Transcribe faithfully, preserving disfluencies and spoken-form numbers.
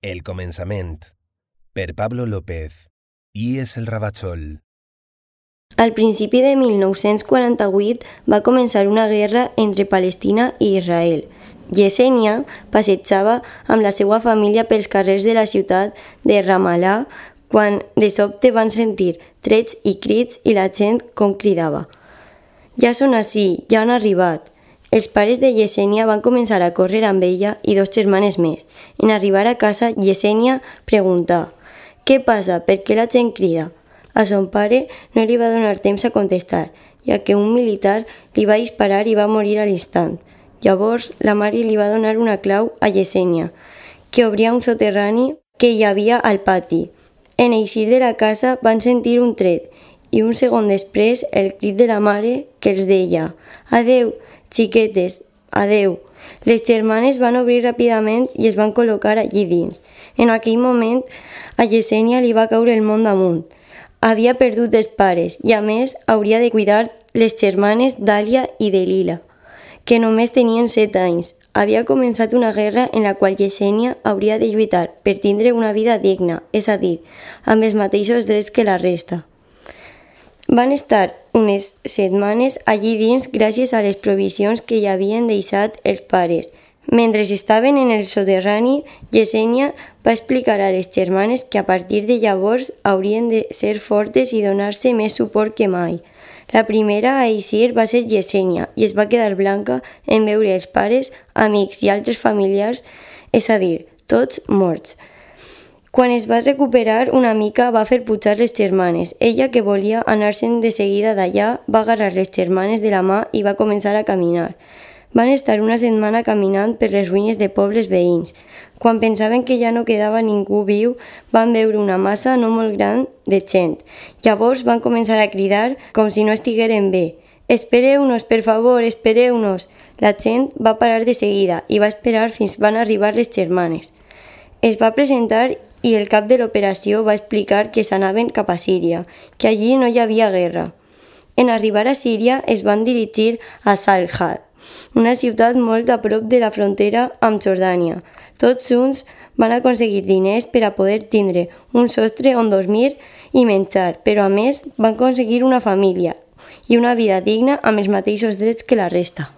El començament, per Pablo López. I és el Ravachol. Al principi de mil nou-cents quaranta-vuit va començar una guerra entre Palestina i Israel. Yesenia passejava amb la seva família pels carrers de la ciutat de Ramallah quan de sobte van sentir trets i crits i la gent com cridava. Ja són ací, ja han arribat. Els pares de Yesenia van començar a córrer amb ella i dos germanes més. En arribar a casa, Yesenia preguntà: «Què passa? Per què la gent crida?» A son pare no li va donar temps a contestar, ja que un militar li va disparar i va morir a l'instant. Llavors, la mare li va donar una clau a Yesenia, que obria un soterrani que hi havia al pati. En eixir de la casa van sentir un tret i un segon després el crit de la mare que els deia: «Adeu, xiquetes, adeu». Les germanes van obrir ràpidament i es van col·locar allí dins. En aquell moment, a Yesenia li va caure el món damunt. Havia perdut els pares i, a més, hauria de cuidar les germanes Dàlia i Delila, que només tenien set anys. Havia començat una guerra en la qual Yesenia hauria de lluitar per tindre una vida digna, és a dir, amb els mateixos drets que la resta. Van estar unes setmanes allí dins gràcies a les provisions que hi havien deixat els pares. Mentre estaven en el soterrani, Yesenia va explicar a les germanes que a partir de llavors haurien de ser fortes i donar-se més suport que mai. La primera a eixir va ser Yesenia i es va quedar blanca en veure els pares, amics i altres familiars, és a dir, tots morts. Quan es va recuperar una mica va fer pujar les germanes. Ella, que volia anar-se'n de seguida d'allà, va agarrar les germanes de la mà i va començar a caminar. Van estar una setmana caminant per les ruïnes de pobles veïns. Quan pensaven que ja no quedava ningú viu, van veure una massa no molt gran de gent. Llavors van començar a cridar com si no estigueren bé. «Espereu-nos, per favor, espereu-nos!» La gent va parar de seguida i va esperar fins van arribar les germanes. Es va presentar i el cap de l'operació va explicar que s'anaven cap a Síria, que allí no hi havia guerra. En arribar a Síria es van dirigir a Salhad, una ciutat molt a prop de la frontera amb Jordània. Tots junts van aconseguir diners per a poder tindre un sostre on dormir i menjar, però a més van aconseguir una família i una vida digna amb els mateixos drets que la resta.